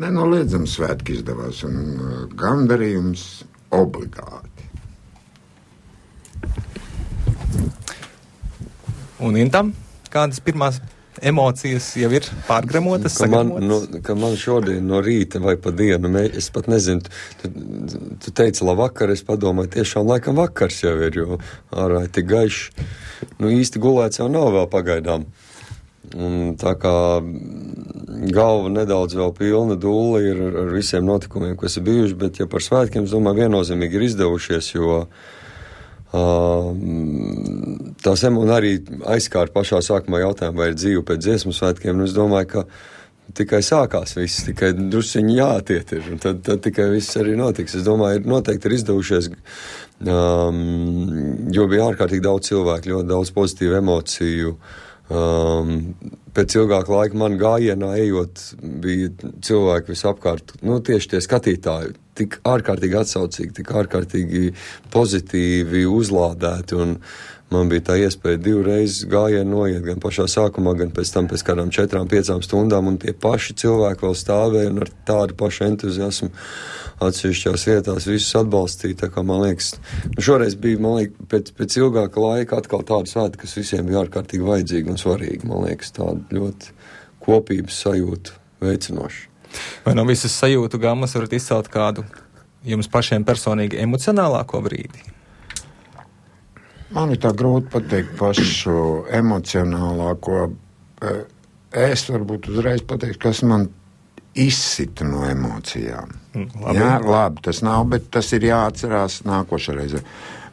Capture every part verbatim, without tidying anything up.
Nenoliedzami svētki izdevās un gandarījums obligāti. Un Intam, kādas pirmās emocijas jau ir pārgremotas, ka man, sagatavotas? no, ka man šodien no rīta vai pa dienu, mē, es pat nezinu, tu, tu teici labvakar, es padomāju, tiešām laikam vakars jau ir, jo ārā ir tik gaiši. Nu, īsti gulēts jau nav vēl pagaidām. Un tā kā galva nedaudz vēl pilna dūla ir ar, ar visiem notikumiem, kas ir bijuši, bet ja par svētkiem, es domāju, viennozīmīgi ir izdevušies, jo Uh, tās un arī aizkārt pašā sākumā jautājumu, vai ir dzīve pēc dziesmu svētkiem, un es domāju, ka tikai sākās viss, tikai drusciņi jātiet ir, un tad, tad tikai viss arī notiks. Es domāju, ir noteikti ir izdevušies, um, jo bija ārkārtīgi daudz cilvēku, ļoti daudz pozitīvu emociju. Um, pēc ilgāka laika man gājienā ejot, bija cilvēki visapkārt, nu tieši tie skatītāji, tik ārkārtīgi atsaucīgi, tik ārkārtīgi pozitīvi uzlādēti, un man bija tā iespēja divreiz gājienu noiet, gan pašā sākumā, gan pēc tam pēc kādām četrām, piecām stundām, un tie paši cilvēki vēl stāvēja un ar tādu pašu entuziasmu atsevišķās vietās visus atbalstīja, tā kā man liekas, nu šoreiz bija, man liekas, pēc, pēc ilgāka laika atkal tāda svēta, kas visiem bija ārkārtīgi vajadzīga un svarīga, man liekas, tāda ļoti kopības sajūta veicinoša. Vai no visas sajūtu gammas varat izcelt kādu jums pašiem personīgi emocionālāko brīdi? Man ir tā grūti pateikt pašu emocionālāko. Es varbūt uzreiz pateikšu, kas man izsita no emocijām. Labi. Jā, labi, tas nav, bet tas ir jāatcerās nākošā reize.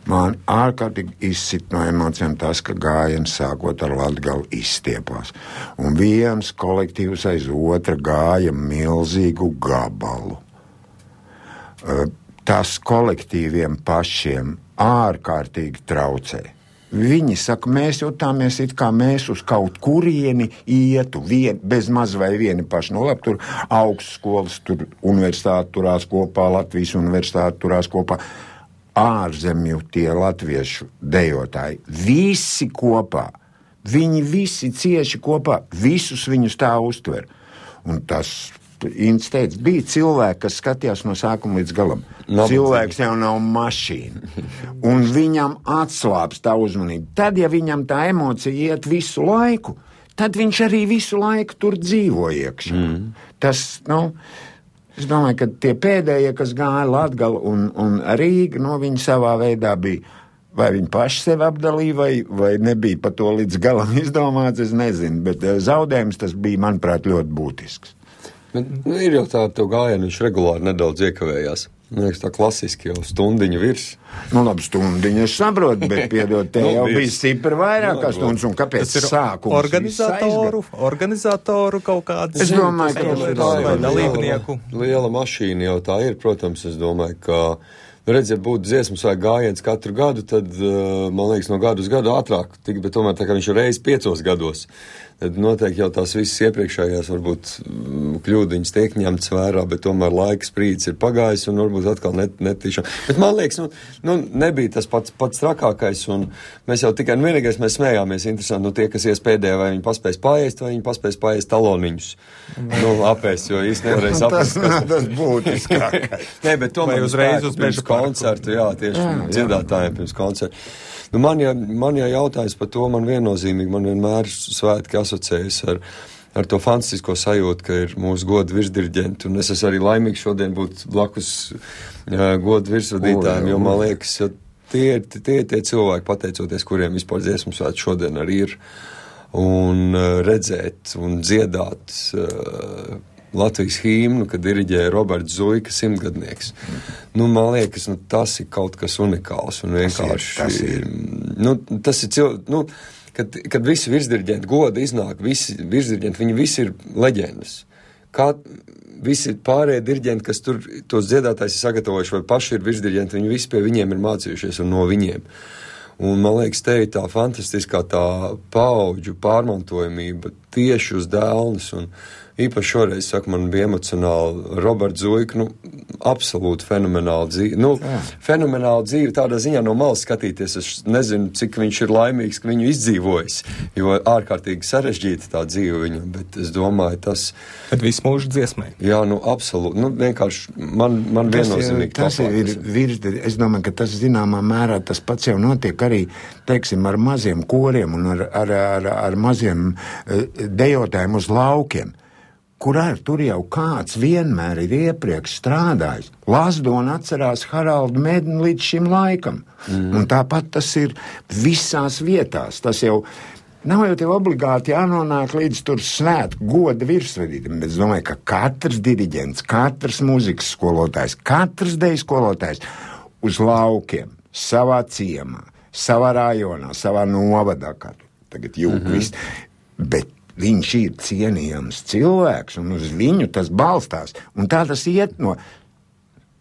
Man ārkārtīgi izsit no emocijām tas, ka gājiens sākot ar Latgali izstiepās. Un viens kolektīvs aiz otra gāja milzīgu gabalu. Tas kolektīviem pašiem ārkārtīgi traucē. Viņi saka, mēs jutāmies it kā mēs uz kaut kurieni ietu, vien, bez maz vai vieni paši. No labi, tur augstskolas, tur universitāte turās kopā, Latvijas universitāte turās kopā. Ārzemju tie latviešu dejotāji, visi kopā, viņi visi cieši kopā, visus viņus tā uztver. Un tas, Ints teica, bija cilvēki, kas skatījās no sākuma līdz galam. Nav Cilvēks jau nav mašīna. Un viņam atslāps tā uzmanība. Tad, ja viņam tā emocija iet visu laiku, tad viņš arī visu laiku tur dzīvo iekšā. Mm. Tas, nu... Es domāju, ka tie pēdējie, kas gāja Latgali un, un Rīga, no viņi savā veidā bija, vai viņi paši sevi apdalīja, vai, vai nebija pa to līdz galam izdomāts, es nezinu, bet zaudējums tas bija, manuprāt, ļoti būtisks. Bet, nu, ir jau tā, to gājienu viņš regulāri nedaudz iekavējās. Man liekas, tā klasiski jau stundiņu virs. Nu, labi, stundiņu es saprotu, bet, piedod, te jau bija stipri vairāk kā stundas, un kāpēc sākums organizatoru, organizatoru kaut kāds. Es domāju, ka tas ir vai dalībnieku. Liela, liela mašīna jau tā ir, protams, es domāju, ka, redz, ja būtu dziesmas vai gājiens katru gadu, tad, man liekas, no gadu uz gadu ātrāk, tik, bet tomēr tā kā viņš ir reiz piecos gados. Tad noteikti jau tās visas iepriekšējās varbūt kļūdiņas tiek ņemts vērā, bet tomēr laiks sprīdis ir pagājis un varbūt atkal net, netīšām. Bet man liekas, nu, nu nebija tas pats, pats trakākais un mēs jau tikai, nu vienīgais mēs smējāmies, interesanti, nu tie, kas ies pēdējā, vai viņi paspēs paēst, vai viņi paspēs paēst taloniņus. Nu, apēst, jo īsti nevarēs apēst. Tas nav tas būtiskākais. Nē, bet tomēr uzreiz uz pirms koncertu, jā, tieši jā, dziedātājiem pirms koncertu. Nu, man, ja, man ja jautājums par to, man viennozīmīgi, man vienmēr svētki asociējas ar, ar to fantastisko sajūtu, ka ir mūsu godu virsdiriģenti, un es esmu arī laimīgs šodien būt blakus uh, godu virsvadītājiem, jo man liekas, ja tie ir tie, tie cilvēki, pateicoties, kuriem vispār dziesmu svētki šodien arī ir, un uh, redzēt un dziedāt uh, Latvijas hīmnu, kad diriģēja Roberts Zuika, simtgadnieks. Nu, man liekas, nu, tas ir kaut kas unikāls un vienkārši... Tas ir, tas ir. Nu, tas ir cil... Nu, kad, kad visi virsdiriģenti goda iznāk, visi virsdiriģenti, viņi visi ir leģendas. Kā visi pārējie diriģenti, kas tur tos dziedātājs ir sagatavojuši, vai paši ir virsdiriģenti, viņi visi pie viņiem ir mācījušies un no viņiem. Un, man liekas, te ir tā fantastiskā tā paudžu pārmantojamība tieši uz dēlnes un īpaši šoreiz, saka, man bija emocionāli Roberts Zuika, nu, absolūti fenomenāla dzīve. Nu, fenomenāla dzīve tādā ziņā no malas skatīties. Es nezinu, cik viņš ir laimīgs, ka viņu izdzīvojis, jo ārkārtīgi sarežģīta tā dzīve viņam, bet es domāju, tas... Bet visu mūžu dziesmai. Jā, nu, absolūti. Nu, vienkārši man, man viennozīmīgi tas ir, ir virs, es domāju, ka tas zināmā mērā tas pats jau notiek arī, teiksim, ar maziem koriem un ar, ar, ar, ar maziem dejotājiem uz laukiem. Kur ar tur jau kāds vienmēr ir iepriekš strādājis. Lazdona atcerās Haraldu Medni līdz šim laikam. Mm. Un tāpat tas ir visās vietās. Tas jau nav jau tev obligāti jānonāk līdz tur svētku goda virsvedītam. Bet es domāju, ka katrs diriģents, katrs muzikas skolotājs, katrs deju skolotājs uz laukiem, savā ciemā, savā rajonā, savā novadā, kā tagad jūk mm-hmm. viss. Bet viņš ir cienījams cilvēks, un uz viņu tas balstās. Un tā tas iet no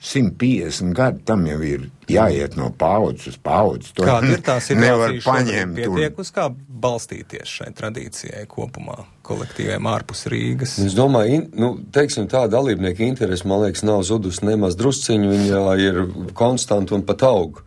simt piecdesmit gadu, tam jau ir jāiet no paudzes uz paudzes. Kāda ir tā nevar situācija paņemt? Pietiek uz kā balstīties šai tradīcijai kopumā, kolektīviem ārpus Rīgas? Es domāju, in, nu, teiksim, tā dalībnieka interesi, man liekas, nav zudus nemaz drusciņu, viņa ir konstanta un pat aug.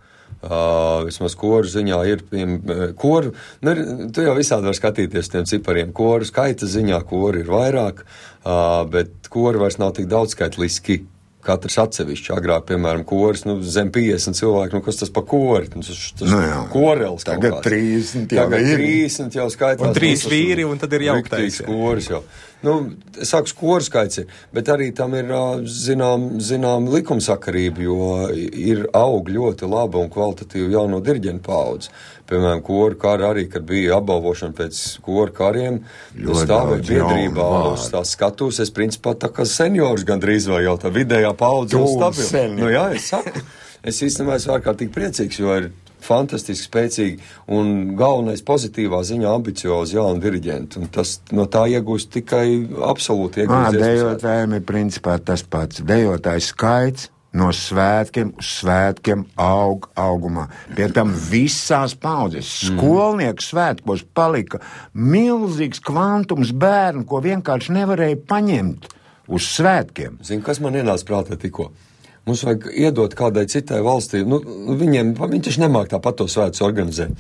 Uh, vismaz koru ziņā ir, piemēram, koru, nu, tu jau visādi var skatīties tiem cipariem, koru skaita ziņā koru ir vairāk, uh, bet koru vairs nav tik daudz skaitliski, katrs atsevišķi, agrāk, piemēram, koris, nu, zem piecdesmit cilvēku, nu, kas tas pa kori, tas, tas nu, jā. Korels kaut Tagad kāds. trīsdesmit jau Tagad ir. trīsdesmit jau skaitās. Un trīs vīri, un tad ir jauktais. Riktīgs koris jau. Nu, es saku, koru skaits ir, bet arī tam ir, zinām, zinām likumsakarība, jo ir aug ļoti laba un kvalitatīva jauno diriģentu paudze. Piemēram, koru kari arī, kad bija apbalvošana pēc koru kariem, stāvēja biedrībā uz tās skatus, es principā tā kā seniors gandrīz vai jau tā vidējā paudze un stabila. Nu jā, es saku, es īstenībā esmu ārkārtīgi priecīgs, jo ir fantastiski spēcīgi un galvenais pozitīvā ziņā ambiciozi jauni diriģenti. Un tas no tā iegūst tikai absolūti iegūst. Dejotājiem ir principā tas pats. Dejotājs skaits no svētkiem uz svētkiem aug augumā. Pie tam visās paudzes. Skolnieku svētkos palika milzīgs kvantums bērnu, ko vienkārši nevarēja paņemt uz svētkiem. Zini, kas man ienāca prātā tikko? Mums vajag iedot kādai citai valstī. Nu, viņiem, viņi taču nemāk tāpat to svētus organizēt.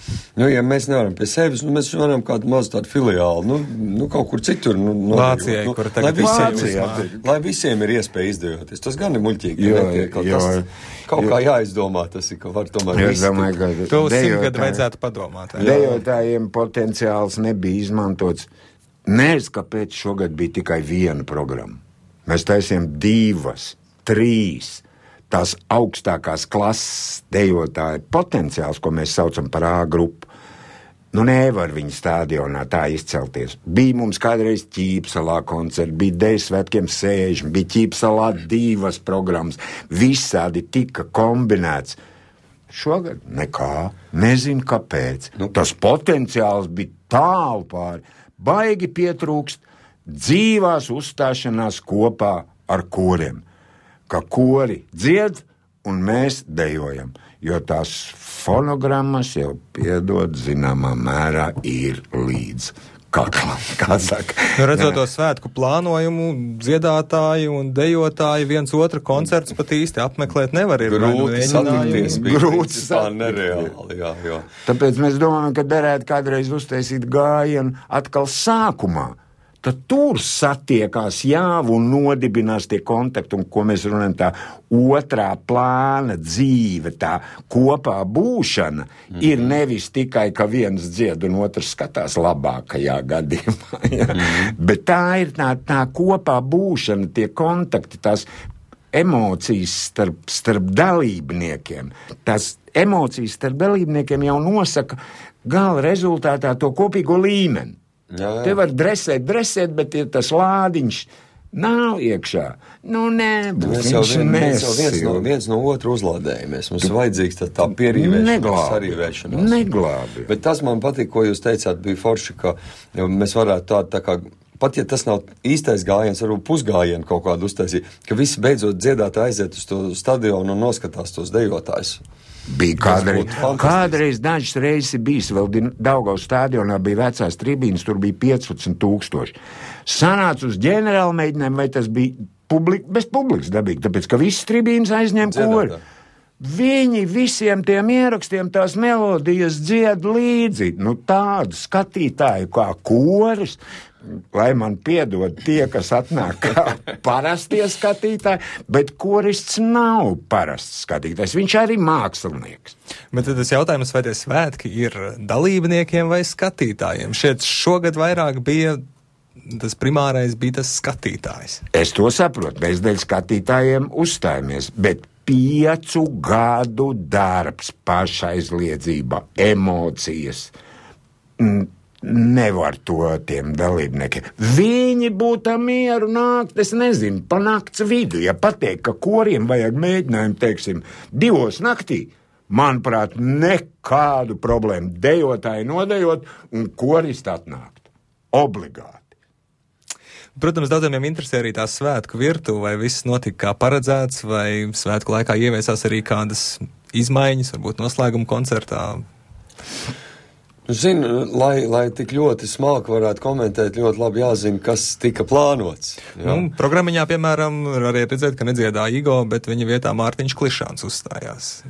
Nu, ja mēs nevaram pie sevis, nu, mēs varam kādu mazu tādu filiālu, nu, nu kaut kur citur. Nu, Vācijai, nu, kur tagad visiem, Vācijā. lai visiem ir iespēja izdejoties. Tas gan ir muļķīgi. Jo, netiek, jo, tas, kaut kā jāizdomā, tas ir, ka var tomēr Es domāju, ka To uz simt dejotāji- gadu vajadzētu padomāt. jā. Dejotājiem potenciāls nebija izmantots. Nezinu, kāpēc šogad bija tikai viena programma. Mēs taisījām divas, trīs. Tās augstākās klases dejotāja potenciāls, ko mēs saucam par A grupu, nu nevar viņa stadionā tā izcelties. Bija mums kādreiz Ķīpsalā koncerti, bija Deju svētkiem sēžami, bija Ķīpsalā divas programmas, visādi tika kombinēts. Šogad nekā, nezinu kāpēc. Nu, tas potenciāls bija tālu pāri, baigi pietrūkst dzīvās uzstāšanās kopā ar koriem. Ka kori dzied un mēs dejojam, jo tās fonogrammas jau piedod zināmā mērā ir līdz kaklam, kā saka. Nu, redzot to svētku plānojumu, dziedātāji un dejotāji viens otru koncerts pat īsti apmeklēt nevar. Ir grūti satikties, bija Grūti principā nereāli, jā, jā. Tāpēc mēs domājam, ka derētu kādreiz uztaisīt gājienu atkal sākumā. Tad tur satiekās jāvu un nodibinās tie kontakti, un ko mēs runājam, tā otrā plāna dzīve, tā kopā būšana, mm-hmm. ir nevis tikai, ka viens dzied un otrs skatās labākajā gadījumā, ja? mm-hmm. bet tā ir tā, tā kopā būšana, tie kontakti, tās emocijas starp, starp dalībniekiem. Tās emocijas starp dalībniekiem jau nosaka gala rezultātā to kopīgo līmeni. Jā, jā. Te var dresēt, dresēt, bet ja tas lādiņš nav iekšā. Nu, nē, mēs jau, vien, mēs jau viens, no, viens no otru uzlādējamies. Mums ir vajadzīgs tā, tā pierīvēšanās, sarīvēšanās. Neglābi. Bet tas man patīk, ko jūs teicāt, bija forši, ka mēs varētu tā, tā kā, pat ja tas nav īstais gājiens, varbūt pusgājienu kaut kādu uztaisīt, ka visi beidzot dziedātāji aiziet uz to stadionu un noskatās tos dejotājus. Bija kādreiz, kādreiz dažas reizes bijis, vēl Daugavas stadionā bija vecās tribīnas, tur bija piecpadsmit tūkstoši. Sanāca uz ģenerāla mēģinājumu, vai tas bija publik, bez publikas dabīgi, tāpēc, ka visas tribīnas aizņem kori. Viņi visiem tiem ierakstiem tās melodijas dzied līdzi, nu tādu skatītāju kā koris, lai man piedod tie, kas atnāk kā parastie skatītāji, bet korists nav parasts skatītājs, viņš arī mākslinieks. Bet tad tas jautājums, vai tie svētki ir dalībniekiem vai skatītājiem? Šeit šogad vairāk bija, tas primārais bija tas skatītājs. Es to saprotu, mēs dēļ skatītājiem uzstājamies, bet piecu gadu darbs, pašaizliedzība, emocijas, nevar to tiem dalībniekiem. Viņi būtu mieru nākt, es nezinu, pa nakts vidu, ja pateikt, ka koriem vajag mēģinājumu, teiksim, divos naktī, manuprāt, nekādu problēmu dejotāji nodejot un koristi atnākt. Obligāti. Protams, daudziem interesē arī tā svētku virtuve, vai viss notika kā paredzēts, vai svētku laikā ieviesās arī kādas izmaiņas, varbūt noslēguma koncertā. Zinu, lai, lai tik ļoti smalki varētu komentēt, ļoti labi jāzina, kas tika plānots. Jā. Nu, programmiņā, piemēram, arī redzēt, ka nedziedāja Igo, bet viņa vietā Mārtiņš Klišāns uzstājās.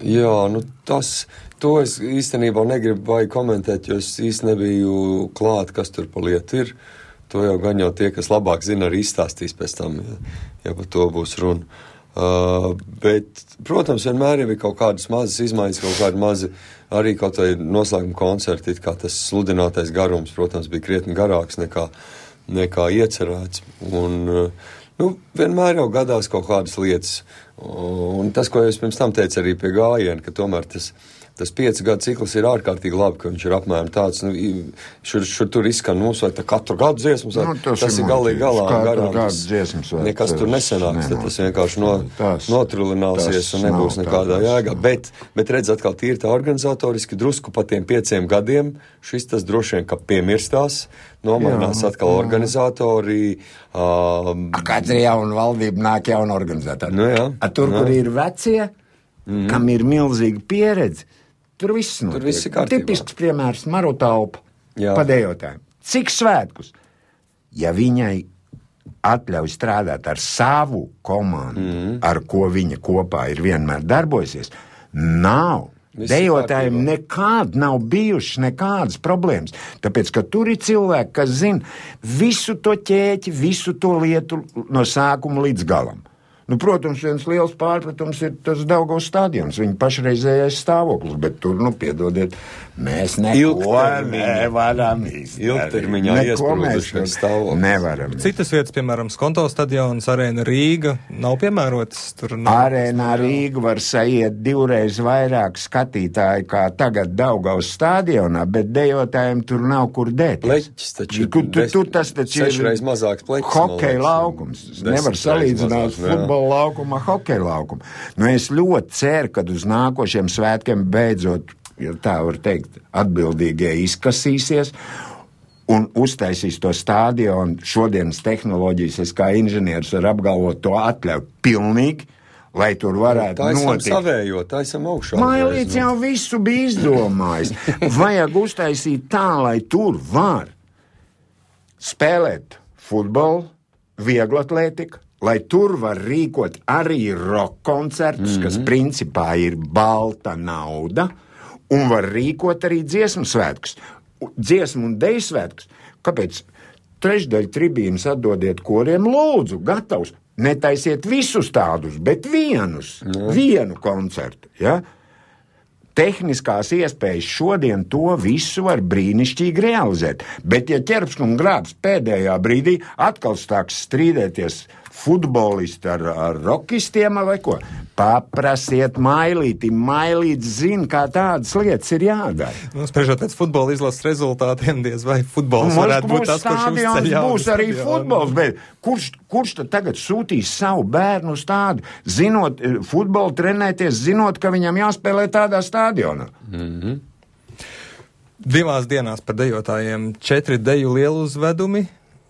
Jā, nu tas, to es īstenībā negribu vai komentēt, jo es īsti nebiju klāt, kas tur pa lietu ir. To jau gan jau tie, kas labāk zina, arī izstāstīs pēc tam, ja, ja par to būs runa. Uh, bet, protams, vienmēr jau ir kaut kādas mazas izmaiņas, kaut kādi mazi arī kaut vai noslēguma koncerti, kā tas sludinātais garums, protams, bija krietni garāks nekā, nekā iecerēts. Un, uh, nu, vienmēr jau gadās kaut kādas lietas. Un tas, ko es pirms tam teicu arī pie gājiena, ka tomēr tas Tas piecu gadu cikls ir ārkārtīgi labi, ka viņš ir apmēram tāds, nu, šur, šur tur izskan mums, vai tā katru gadu dziesmas, vai nu, tas, tas ir galīgi galā garām, tas dziesmas, nekas tur nesenāks, tad tas vienkārši no, tās, notrulināsies un nebūs nekādā jēgā. Bet, bet redz atkal tīri tā organizatoriski, drusku pa tiem pieciem gadiem, šis tas droši vien, ka piemirstās, nomainās jā, atkal jā. Organizatori. Um, Kāds ir jauna valdība, nāk jauna organizatori. Nu, jā, A, tur, jā. Kur ir vecie, mm. kam ir milzīga pieredze, tur viss notiek. Tur viss ir kārtībā. Tipisks piemērs Maru Taupa padējotājiem. Cik svētkus? Ja viņai atļauj strādāt ar savu komandu, mm. ar ko viņa kopā ir vienmēr darbojusies, nav. Visi dejotājiem nekād nav bijušas nekādas problēmas, tāpēc, ka tur ir cilvēki, kas zina visu to ķēķi, visu to lietu no sākuma līdz galam. Nu, protams, viens liels pārpratums ir tas Daugavas stadions, viņa pašreizējais stāvoklis, bet tur, nu, piedodiet, mēs neko nevaram izdarīt. Ilgtermiņā iesprūdušais stāvoklis. Nevaram. Citas vietas, piemēram, Skonto stadions, Arēna Rīga, nav piemērotas. Tur nav. Arēnā Rīga var saiet divreiz vairāk skatītāju kā tagad Daugavas stadionā, bet dejotājiem tur nav kur dēties. Pleķis taču. Tur, tur, tur tas taču ir sešreiz mazāks pleķis. Hokeja laukums. Nevar salīdzināt futbolu laukuma, hokeja laukuma. Nu, es ļoti ceru, kad uz nākošiem svētkiem beidzot, ja tā var teikt, atbildīgie izkasīsies un uztaisīs to stadionu. Šodienas tehnoloģijas, es kā inženieris varu apgalvot, to atļauj pilnīgi, lai tur varētu tā notikt. Savējo, tā esam augšā. Mailīts jau visu bija izdomājis. Vajag uztaisīt tā, lai tur var spēlēt futbolu, vieglatlētiku, lai tur var rīkot arī rock koncertus, mm-hmm. kas principā ir balta nauda, un var rīkot arī dziesmu svētkus, dziesmu un deju svētkus. Kāpēc? Trešdaļu tribīnas atdodiet koriem, lūdzu, gatavs. Netaisiet visus tādus, bet vienus, mm. vienu koncertu, ja? Tehniskās iespējas šodien to visu var brīnišķīgi realizēt, bet ja ķerps un grābs pēdējā brīdī atkal stāks strīdēties futbolisti ar, ar rokistiem vai ko, paprasiet Mailīti, Mailīts zina, kā tādas lietas ir jādara. Nu, spriežot pēc futbola izlases rezultātiem, diez vai futbols Mums varētu būt tas, kurš uzceļ jaunu būs arī stadionu. Futbols, bet kurš, kurš tad tagad sūtīs savu bērnu uz tādu, zinot, futbolu trenēties, zinot, ka viņam jāspēlē tādā stadionā? Mm-hmm. Divās dienās par dejotājiem četri deju lielu uzvedumi,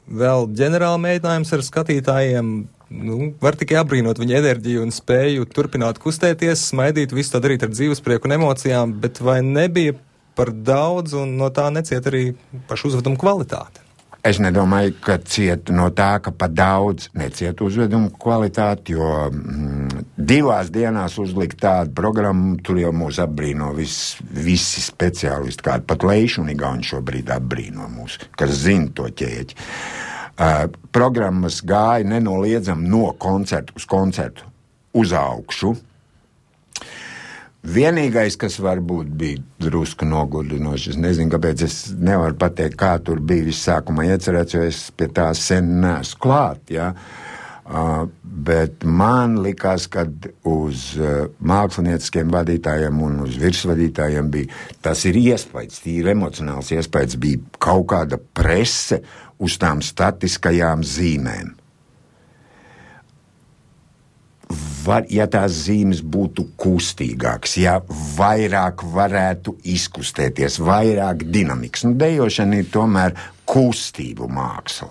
vēl ģenerāla mēģinājums ar skatītājiem. Nu, var tikai apbrīnot viņa enerģiju un spēju turpināt kustēties, smaidīt, visu to darīt ar dzīvesprieku un emocijām, bet vai nebija par daudz un no tā neciet arī pašu uzvedumu kvalitāte? Es nedomāju, ka ciet no tā, ka pa daudz neciet uzvedumu kvalitāti, jo mm, divās dienās uzlikt tādu programmu, tur jau mūs apbrīno vis, visi speciālisti, kādi pat Leiši un Igauni šobrīd apbrīno mūs, kas zina to ķēķi. Uh, programmas gāja nenoliedzam no koncertu uz koncertu uz augšu. Vienīgais, kas varbūt bija drusku nogurdinoši, es nezinu, kāpēc es nevaru pateikt, kā tur bija viss sākumā iecerēts, jo es pie tā sen neesmu klāt, ja? uh, bet man likās, ka uz uh, mākslinieciskiem vadītājiem un uz virsvadītājiem bija, tas ir iespējas, tīri emocionāls iespējas, bija kaut kāda prese uz tām statiskajām zīmēm. Var, ja tās zīmes būtu kustīgākas, ja vairāk varētu izkustēties, vairāk dinamikas. Nu, dejošana ir tomēr kustību māksla,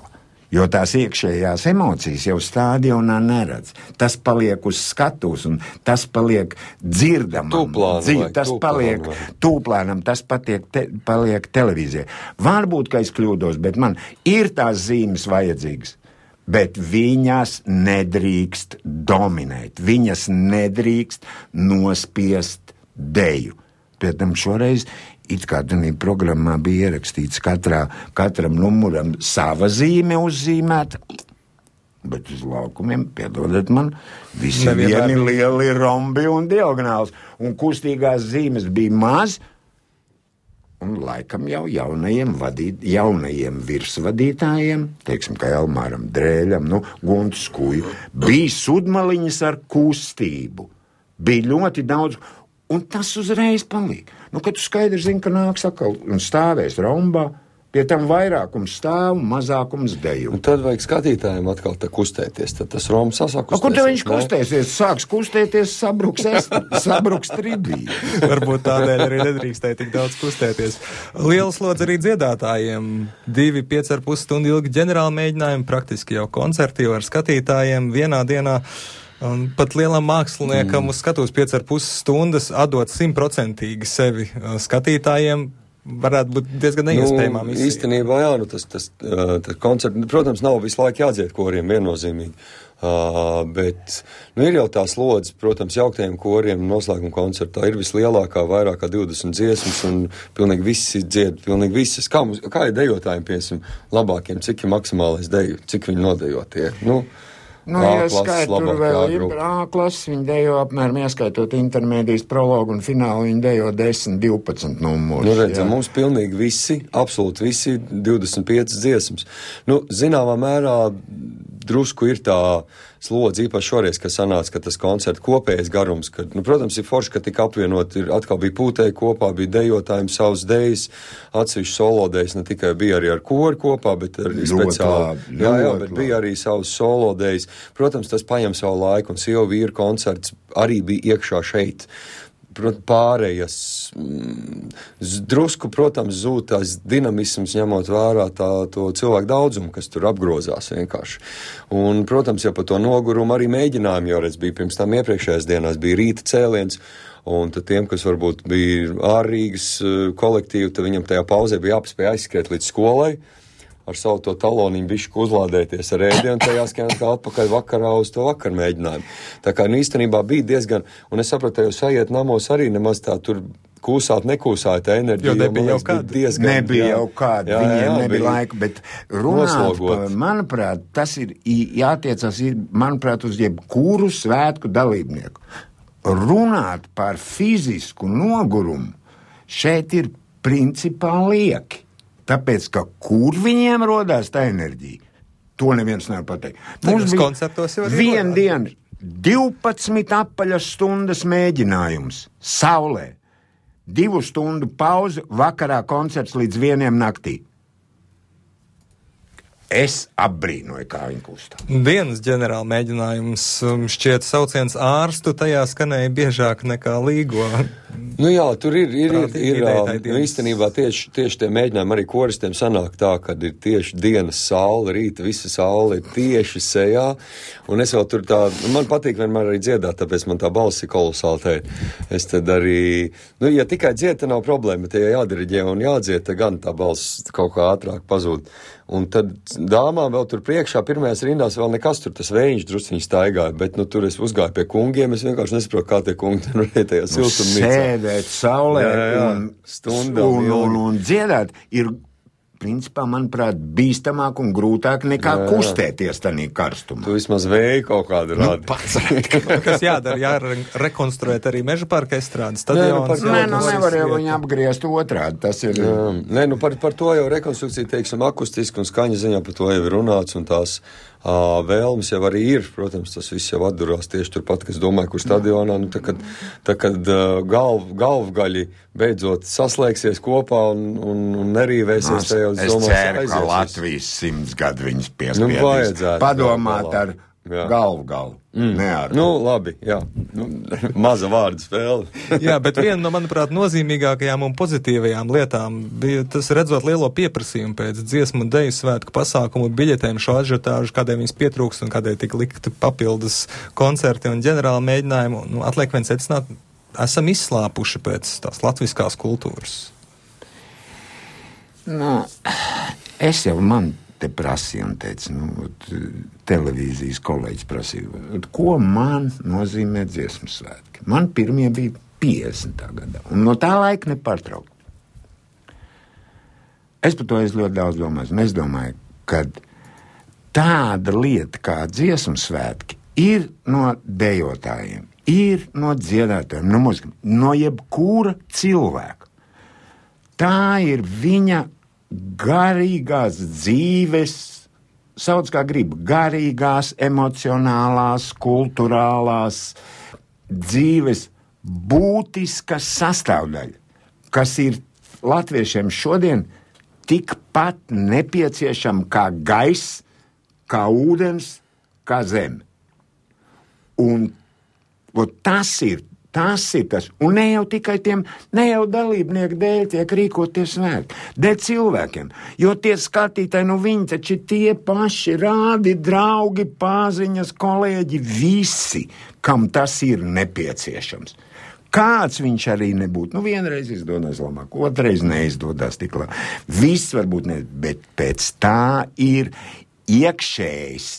jo tās iekšējās emocijas jau stadionā neredz. Tas paliek uz skatuves un tas paliek dzirdamam. Tūplānam, Dzir, vai, tas tūplānam, paliek vai. tūplānam, tas patiek te, paliek televīzijai. Varbūt, ka es kļūdos, bet man ir tās zīmes vajadzīgas. Bet viņas nedrīkst dominēt, viņas nedrīkst nospiest deju. Pēc tam šoreiz it kā tādā programmā bija ierakstīts katrā, katram numuram sava zīme uzzīmēta, bet uz laukumiem, piedodiet man, visi vieni lieli rombi un diagonāls, un kustīgās zīmes bija maz. Un laikam jau jaunajiem, vadīt, jaunajiem virsvadītājiem, teiksim, kā Elmāram Drēļam, nu, Guntu Skuju, bija sudmaliņas ar kustību. Bija ļoti daudz, un tas uzreiz palīk. Nu, kad tu skaidri zini, ka nāks atkal un stāvēs rombā, pie tam vairākums stāv un mazākums deju. Un tad vajag skatītājiem atkal tā kustēties, tad tas roms sasakustēsies. Kur te viņš kustēsies? Sāks kustēties, sabruks, es, sabruks tribīja. Varbūt tādēļ arī nedrīkstēja tik daudz kustēties. Liela slodze arī dziedātājiem. Divi pieci ar pus stundu ilgi ģenerāli mēģinājumi, praktiski jau koncerti jau ar skatītājiem vienā dienā. Un pat lielam māksliniekam mm. uz skatuves pieci ar pus stundas atdot simtprocentīgi sevi skatītājiem. Varētu būt diezgan neiespējamā misija. Nu, īstenībā, jā, nu tas, tas, tas koncerts, protams, nav visu laiku jādzied koriem viennozīmīgi, uh, bet, nu, ir jau tā slodze, protams, jauktajiem koriem noslēguma koncertā ir vislielākā, vairāk kā divdesmit dziesmas, un pilnīgi visi dzied, pilnīgi visas. Kā, mums, kā ir dejotājiem, piesim, labākiem, cik ir maksimālais deju, cik viņi nodejotie, nu, Nu, ja skait, tur vēl ir A-klases, viņi dejo apmēram, ieskaitot intermēdijas prologu un finālu, viņi dejo desmit, divpadsmit numurus. Nu, redzam, mums pilnīgi visi, absolūti visi, divdesmit piecas dziesmas. Nu, zināmā mērā drusku ir tā slodze, īpaši šoreiz, ka sanāca, ka tas koncerta kopējais garums, ka, nu, protams, ir forši, ka tika apvienot, ir atkal bija pūtēji kopā, bija dejotājiem savas dejas, atsevišķi solo dejas, ne tikai bija arī ar koru kopā, bet arī speciāli. Jā, jā, bet bija arī savas solo dejas. Protams, tas paņem savu laiku, un sievu vīru koncerts arī bija iekšā šeit. Pārējas drusku, protams, zūd tās dinamisms, ņemot vērā tā, to cilvēku daudzumu, kas tur apgrozās vienkārši. Un, protams, jau par to nogurumu arī mēģinājumi, jo redz, bija pirms tam iepriekšējās dienās, bija rīta cēliens, un tad tiem, kas varbūt bija ārrīgas kolektīvi, tad viņam tajā pauzē bija jāpaspēj aizskriet līdz skolai, ar savu to taloniņu bišķi uzlādēties ar ēdienu, tajā skan kā atpakaļ vakarā uz to vakar mēģinājumu. Tā kā, nu, īstenībā bija diezgan, un es sapratu, jūs aiziet namos arī nemaz tā tur kūsāt, nekūsāt tā enerģija. Jo nebija jau kāda. Diezgan, nebija jā, jau kāda, jā, viņiem jā, jā, nebija laika, bet runāt, pa, manuprāt, tas ir jātiecas, ir, manuprāt, uz jebkuru svētku dalībnieku. Runāt par fizisku nogurumu šeit ir principā lieki. Tāpēc, ka kur viņiem rodās tā enerģija, to neviens nevar pateikt. Mums bija koncertos jau arī viena diena, divpadsmit apaļas stundas mēģinājums saulē, divu stundu pauze, vakarā koncerts līdz vieniem naktī. Es apbrīnoju, kā viņi kustā. Dienas ģenerāla mēģinājums šķiet sauciens ārstu, tajā skanēja biežāk nekā līgo. Nu jā, tur ir, ir, ir, ir nu, īstenībā tieši, tieši tie mēģinājumi arī koristiem sanāk tā, kad ir tieši dienas saule, rīta visa saule ir tieši sejā, un es vēl tur tā, man patīk vienmēr arī dziedāt, tāpēc man tā balss ir kolosāli teikt. Es tad arī, nu, ja tikai dzied, tad nav problēma, bet ja jādiriģē un jādzied, tad gan tā balss kaut kā ātrāk pazūd. Un tad dāmām vēl tur priekšā, pirmajās rindās vēl nekas tur, tas vējiņš drusciņi staigāja, bet, nu, tur es uzgāju pie kungiem, es vienkārši nesaprotu, kā tie kungi tur varēja tajā siltumnīcā. Sēdēt saulē Jā, jā, jā. un, Stundām un, un, ilgi. un dziedāt ir, principā, manuprāt, bīstamāk un grūtāk nekā Jā, jā. kustēties tanī karstumā. Tu vismaz vēju kaut kādu Nu, rādi. pats. Kas jādara, jārekonstruēt arī meža parka estrādes Nē, nu, par stadions. Nē, Jā, nu tas nevar jau vieta. viņu apgriezt otrādi, tas ir... Jā. Nē, nu par, par to jau rekonstrukcija, teiksim, akustiski un skaņa ziņā par to jau ir runāts, un tās ā, vēlmes jau arī ir, protams, tas viss jau atdurās tieši turpat, kas domāju, kur stadionā, nu tā, kad, tā, kad uh, galv, galvgaļi beidzot saslēgsies kopā un, un, un nerīvēsies, Es, tajā, es domāju, ceru, ka aizies. Latvijas simts gadu viņas Nu, piespiedīs. vajadzētu, Padomāt jā, ar jā. galvu galvu, mm. ne ar... Nu, labi, jā. Nu, maza vārdu spēle. Jā, bet viena no, manuprāt, nozīmīgākajām un pozitīvajām lietām bija tas redzot lielo pieprasījumu pēc dziesmu un deju svētku pasākumu biļetēm, šo ažiotāžu, kādai viņas pietrūkst un kādai tika likti papildus koncerti un ģenerāli mēģinājumi. Nu, atliek vien secināt, esam izslāpuši pēc tās latviskās kultūras. Nu, es jau man te prasīju un teicu, nu, televīzijas kolēģis prasīja, ko man nozīmē dziesmu svētki. Man pirmie bija piecdesmitā gadā, un no tā laika nepārtraukt. Es par to es ļoti daudz domāju, un es domāju, ka tāda lieta kā dziesmu svētki ir no dejotājiem, ir no dziedātājiem, no mūzikiem, no jebkura cilvēka. Tā ir viņa garīgās dzīves, sauc kā grib, garīgās, emocionālās, kulturālās dzīves būtiska sastāvdaļa, kas ir latviešiem šodien tikpat nepieciešama kā gaiss, kā ūdens, kā zeme. Un, un tas ir Tas ir tas, un ne jau tikai tiem, ne jau dalībnieku dēļ tiek rīkoties svētki, dēļ cilvēkiem, jo tie skatītāji, nu viņi taču tie paši rādi, draugi, paziņas, kolēģi, visi, kam tas ir nepieciešams. Kāds viņš arī nebūtu, nu vienreiz izdodas labāk, otrreiz neizdodas tik labi, viss varbūt ne, bet pēc tā ir iekšējs,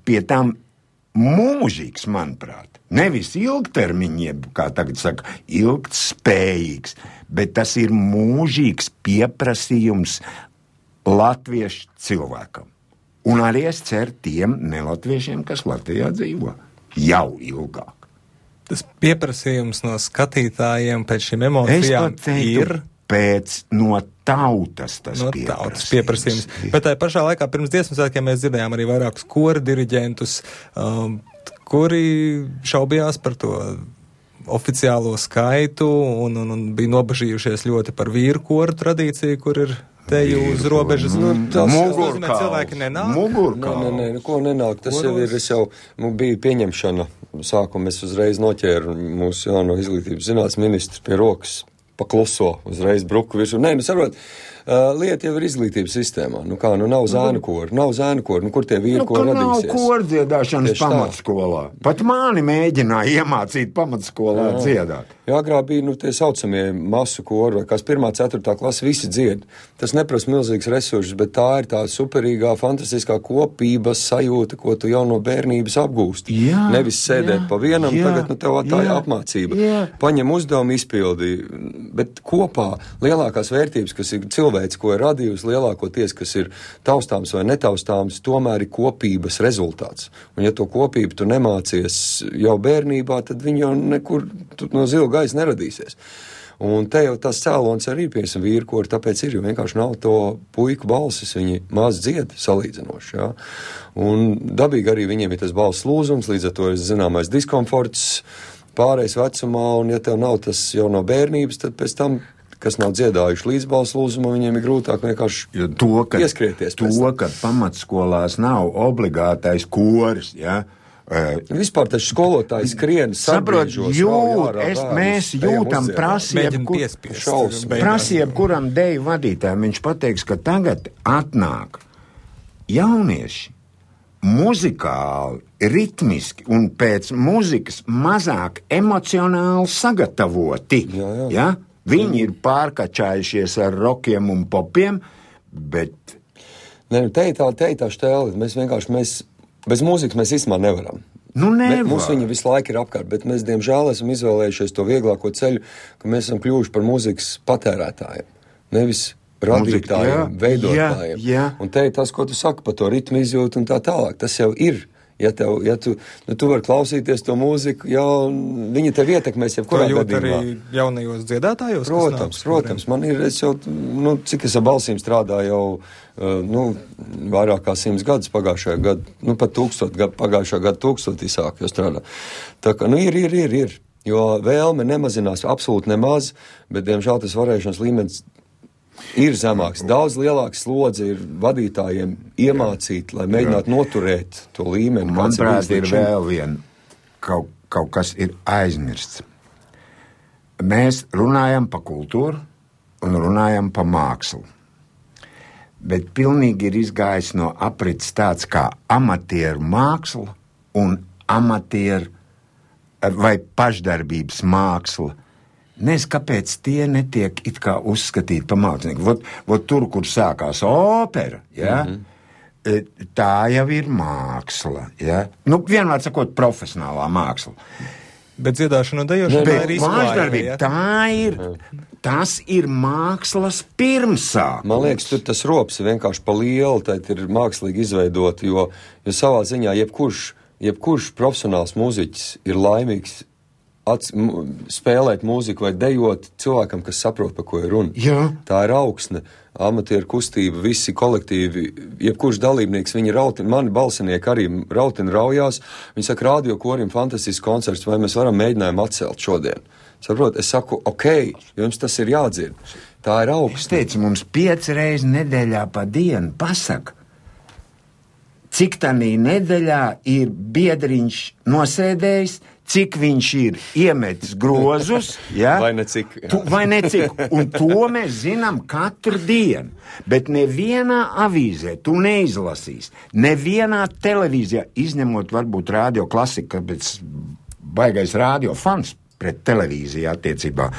pie tam mūžīgs, manuprāt. Nevis ilgtermiņiem, kā tagad saka, ilgtspējīgs, bet tas ir mūžīgs pieprasījums latviešu cilvēkam. Un arī es ceru tiem nelatviešiem, kas Latvijā dzīvo jau ilgāk. Tas pieprasījums no skatītājiem pēc šīm emocijām ir... Pēc no tautas tas no pieprasījums. Tautas pieprasījums. Bet tā pašā laikā pirms dziesmu svētkiem mēs dzirdējām arī vairākus kora diriģentus, um, kuri šaubījās par to oficiālo skaitu un, un, un bija nobažījušies ļoti par vīru koru tradīciju, kur ir teju uz robežas. Nu, tas nozīmē, cilvēki nenāk. Nē, nē, nē, nu, ko nenāk. Tas jau ir, es jau, nu, bija pieņemšana. Sākumā es uzreiz noķēru mūsu jauno izglītības zinātnes ministru pie rokas. Pakluso, uzreiz bruku virsū. Nē, nu, sarot, uh, lieta jau ir izglītības sistēmā. Nu kā, nu nav zēnu kori, nav zēnu kori, nu kur tie vīri, nu, ko radīsies? Nu, nav kordziedāšanas Tieši tā. pamatskolā. Pat mani mēģināja iemācīt pamatskolā Jā. dziedāt. Jā, agrāk bija, nu, tie saucamie masu kori, vai kas pirmā, ceturtā klasa, visi dzied. Tas neprasa milzīgs resursus, bet tā ir tā superīgā, fantastiskā kopības sajūta, ko tu jau no bērnības apgūsti. Jā, Nevis sēdēt jā, pa vienam, jā, tagad, nu, tev tā ir jā, apmācība. jā. Paņem uzdevumu, izpildi, bet kopā lielākās vērtības, kas ir cilvēks, ko ir radījusi, lielākoties, kas ir taustāms vai netaustāms, tomēr ir kopības rezultāts. Un ja to kopību tu nemācies jau bērnībā, tad viņi jau nekur no zila gaisa neradīsies. Un te jau tas cēlons arī piemēram vīru kori, tāpēc ir, jo vienkārši nav to puiku balsis, viņi maz dzied salīdzinoši, jā. Un dabīgi arī viņiem ir tas balss lūzums, līdz ar to ir zināmais diskomforts pārējais vecumā, un ja tev nav tas jau no bērnības, tad pēc tam, kas nav dziedājuši līdz balss lūzumam, viņiem ir grūtāk vienkārši to, ka, ieskrieties. To, ka pamatskolās nav obligātais koris, ja, Vispār tas skolotājs skrien saprot, jūt, es, mēs jūtam prasību, prasību, kuram deju vadītājiem, viņš pateiks, ka tagad atnāk jaunieši muzikāli, ritmiski un pēc muzikas mazāk emocionāli sagatavoti. Jā, jā. Ja? Viņi ir pārkačājušies ar rokiem un popiem, bet Nē, te ir tā, te ir tā štēle. Mēs vienkārši, mēs, bez mūzikas mēs īstenībā nevaram. Nu, nevar. Mums viņa visu laiku ir apkārt, bet mēs, diemžēl, esam izvēlējušies to vieglāko ceļu, ka mēs esam kļuvuši par mūzikas patērētājiem. Nevis radītājiem, veidotājiem. Jā, jā. Un te ir tas, ko tu saki par to ritmu izjūtu un tā tālāk. Tas jau ir. Ja, tev, ja tu, nu, tu vari klausīties to mūziku, jā, viņa tev ietekmēs jebkurā gadījumā. To jūt arī jaunajos dziedātājos? Protams, protams. Man ir, es jau, nu, cik es ar balsīm strādāju jau, uh, nu, vairāk kā simts gadus pagājušajā gadu, nu, pat tūkstot, gadu, pagājušā gada tūkstotī sāk jau strādā. Tā kā, nu, ir, ir, ir, ir. Jo vēlme nemazinās absolūti nemaz, bet, diemžēl, tas varēšanas līmenis ir zemāks. Daudz lielāks slodze ir vadītājiem iemācīt, lai mēģinātu noturēt to līmeni. Manuprāt, ir vēl vien, kaut, kaut kas ir aizmirsts. Mēs runājam pa kultūru un runājam pa mākslu. Bet pilnīgi ir izgājis no aprits tāds kā amatieru māksla un amatieru vai pašdarbības māksla. Nezinu, kāpēc tie netiek it kā uzskatīti pa mākslinieku. Vot, vot tur, kur sākās opera, ja, mm-hmm. tā jau ir māksla. Ja. Nu, vienmēr sakot, profesionālā māksla. Bet dziedāšana un dejošana Bet ir izklājība. Ja? Tā ir, tas ir mākslas pirmsākums. Man liekas, tur tas rops ir vienkārši pa lielu, tad ir mākslīgi izveidot, jo, jo savā ziņā jebkurš, jebkurš profesionāls mūziķis ir laimīgs Ats, m, spēlēt mūziku vai dejot cilvēkam, kas saprot, pa ko ir runa. Jā. Tā ir augsne, amatieru kustība, visi kolektīvi, jebkurš dalībnieks, viņi rautina, mani balsinieki arī rautina raujās, viņi saka, radio korim fantastisks koncerts, vai mēs varam mēģinājumu atcelt šodien. Saprot, es saku, ok, jums tas ir jādzird. Tā ir augsne. Es teicu, mums pieci reizi nedēļā pa dienu pasaka, cik tanī nedēļā ir biedriņš nosēdējis, cik viņš ir iemetis grozus, ja? Vai ne cik. Tu, vai ne cik. Un to mēs zinām katru dienu. Bet nevienā avīzē tu neizlasīs. Nevienā televīzijā, izņemot varbūt radio klasiku, kāpēc baigais radio fans pret televīziju attiecībā.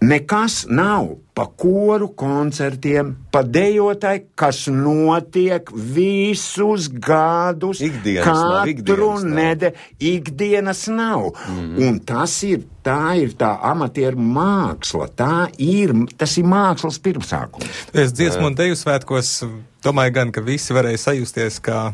Nekas nav pa koru koncertiem, pa dejotāju, kas notiek visus gadus, ikdienas katru nav, nedēļu, ikdienas nav. Mm-hmm. Un tas ir, tā ir tā amatieru māksla, tā ir, tas ir mākslas pirmsākums. Es dziesmu un deju svētkos domāju gan, ka visi varēja sajusties kā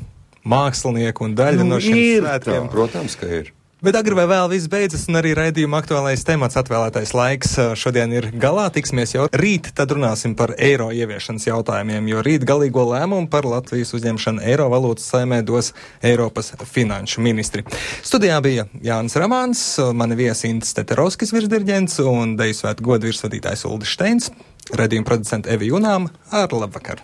mākslinieki un daļa Nu, no šiem ir svētkiem. tā. Protams, ka ir. Bet agri vai vēl viss beidzas, un arī raidījuma aktuālais temats atvēlētais laiks šodien ir galā. Tiksimies jau rīt, tad runāsim par eiro ieviešanas jautājumiem, jo rīt galīgo lēmumu par Latvijas uzņemšanu eiro valūtas saimē dos Eiropas finanšu ministri. Studijā bija Jānis Ramāns, mani viesi Intis Teterovskis virsdirģents un deju svētu godu virsvadītājs Uldis Šteins, raidījuma producenta Evi Junām. Ar labvakar!